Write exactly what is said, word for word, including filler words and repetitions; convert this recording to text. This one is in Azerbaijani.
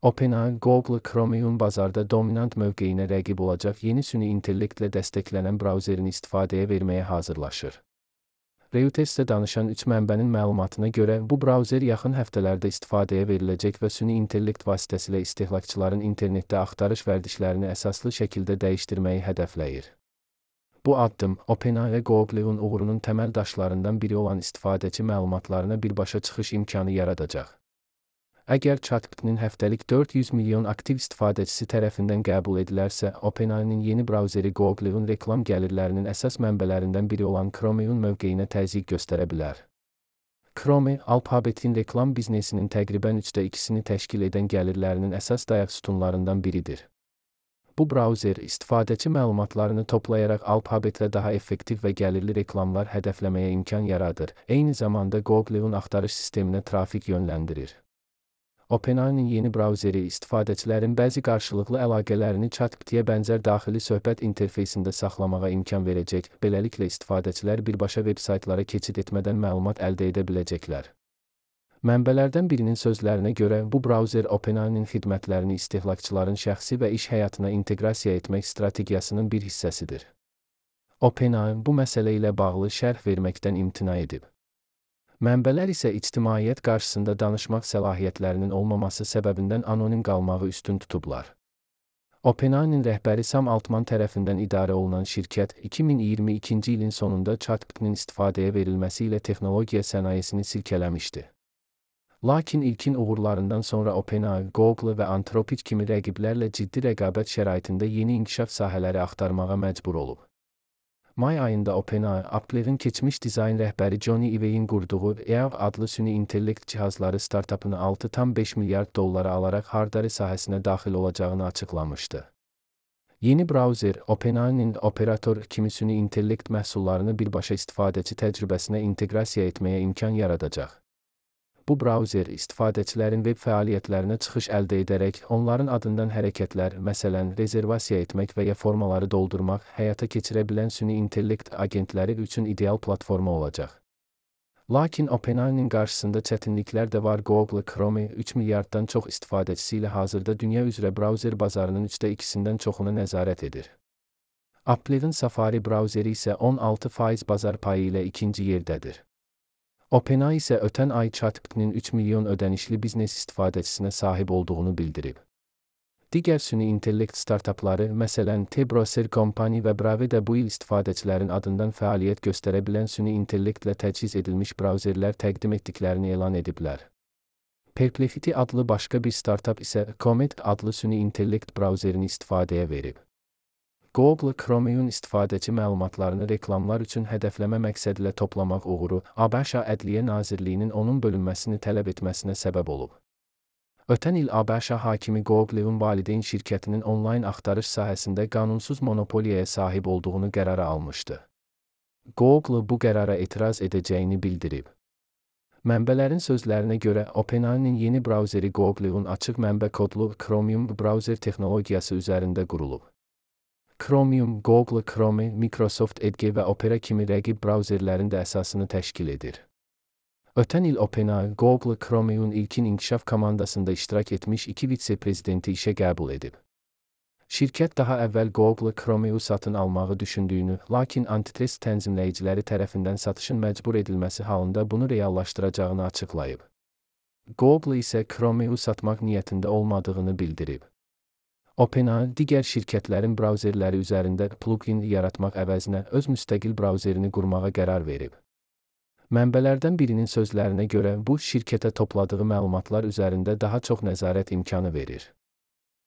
OpenAI, Google Chromium bazarda dominant mövqeyinə rəqib olacaq yeni süni intellektlə dəstəklənən brauzerini istifadəyə verməyə hazırlaşır. Reuters'ə danışan üç mənbənin məlumatına görə bu brauzer yaxın həftələrdə istifadəyə veriləcək və süni intellekt vasitəsilə istehlakçıların internetdə axtarış vərdişlərini əsaslı şəkildə dəyişdirməyi hədəfləyir. Bu addım, OpenAI və Google'un uğurunun təməl daşlarından biri olan istifadəçi məlumatlarına birbaşa çıxış imkanı yaradacaq. Əgər ChatGPT'nin həftəlik dörd yüz milyon aktiv istifadəçisi tərəfindən qəbul edilərsə, OpenAI'nin yeni brauzeri Google'un reklam gəlirlərinin əsas mənbələrindən biri olan Chromium mövqeyinə təzyiq göstərə bilər. Chrome, alfabetin reklam biznesinin təqribən üçdə ikisini təşkil edən gəlirlərinin əsas dayaq sütunlarından biridir. Bu brauzer, istifadəçi məlumatlarını toplayaraq alfabetlə daha effektiv və gəlirli reklamlar hədəfləməyə imkan yaradır, eyni zamanda Google'un axtarış sisteminə trafik yönləndirir. OpenAI'nin yeni brauzeri istifadəçilərin bəzi qarşılıqlı əlaqələrini ChatGPT-yə bənzər daxili söhbət interfeysində saxlamağa imkan verəcək, beləliklə istifadəçilər birbaşa veb-saytlara keçid etmədən məlumat əldə edə biləcəklər. Mənbələrdən birinin sözlərinə görə, bu brauzer OpenAI'nin xidmətlərini istehlakçıların şəxsi və iş həyatına inteqrasiya etmək strategiyasının bir hissəsidir. OpenAI bu məsələ ilə bağlı şərh verməkdən imtina edib. Mənbələr isə ictimaiyyət qarşısında danışmaq səlahiyyətlərinin olmaması səbəbindən anonim qalmağı üstün tutublar. OpenAI'nin rəhbəri Sam Altman tərəfindən idarə olunan şirkət, iki min iyirmi ikinci ilin sonunda ChatGPT'nin istifadəyə verilməsi ilə texnologiya sənayesini silkələmişdi. Lakin ilkin uğurlarından sonra OpenAI, Google və Anthropic kimi rəqiblərlə ciddi rəqabət şəraitində yeni inkişaf sahələri axtarmağa məcbur olub. May ayında OpenAI, Apple'in keçmiş dizayn rəhbəri Johnny Ive'in qurduğu E A V adlı süni intellekt cihazları startapını altı tam beş milyard dollara alaraq hardware sahəsinə daxil olacağını açıqlamışdı. Yeni brauzer, OpenAI'nin operator kimi süni intellekt məhsullarını birbaşa istifadəçi təcrübəsinə inteqrasiya etməyə imkan yaradacaq. Bu brauzer, istifadəçilərin veb fəaliyyətlərinə çıxış əldə edərək, onların adından hərəkətlər, məsələn, rezervasiya etmək və ya formaları doldurmaq, həyata keçirə bilən süni intellekt agentləri üçün ideal platforma olacaq. Lakin OpenAI'nin qarşısında çətinliklər də var. Google Chrome, üç milyarddan çox istifadəçisi ilə hazırda dünya üzrə brauzer bazarının üçdə ikisindən çoxuna nəzarət edir. Apple'in Safari brauzeri isə on altı faiz bazar payı ilə ikinci yerdədir. OpenAI isə ötən ay ChatGPT'nin üç milyon ödənişli biznes istifadəçisinə sahib olduğunu bildirib. Digər süni intellekt startapları, məsələn, T-Browser Company və Brave də bu il istifadəçilərin adından fəaliyyət göstərə bilən süni intellektlə təchiz edilmiş brauzerlər təqdim etdiklərini elan ediblər. Perplexity adlı başqa bir startap isə Comet adlı süni intellekt brauzerini istifadəyə verib. Google Chromium istifadəçi məlumatlarını reklamlar üçün hədəfləmə məqsədilə toplamaq uğuru, ABŞ Ədliyyə Nazirliyinin onun bölünməsini tələb etməsinə səbəb olub. Ötən il ABŞ hakimi Google'un valideyn şirkətinin onlayn axtarış sahəsində qanunsuz monopoliyaya sahib olduğunu qərara almışdı. Google bu qərara etiraz edəcəyini bildirib. Mənbələrin sözlərinə görə, OpenAI'nin yeni brauzeri Google'un açıq mənbə kodlu Chromium brauzer texnologiyası üzərində qurulub. Chromium, Google Chrome, Microsoft Edge və Opera kimi rəqib brauzerlərin də əsasını təşkil edir. Ötən il OpenAI, Google Chrome'un ilkin inkişaf komandasında iştirak etmiş iki vitse-prezidenti işə qəbul edib. Şirkət daha əvvəl Google Chrome'u satın almağı düşündüyünü, lakin antitrust tənzimləyiciləri tərəfindən satışın məcbur edilməsi halında bunu reallaşdıracağını açıqlayıb. Google isə Chrome'u satmaq niyyətində olmadığını bildirib. OpenAI, digər şirkətlərin brauzerləri üzərində plugin yaratmaq əvəzinə öz müstəqil brauzerini qurmağa qərar verib. Mənbələrdən birinin sözlərinə görə, bu, şirkətə topladığı məlumatlar üzərində daha çox nəzarət imkanı verir.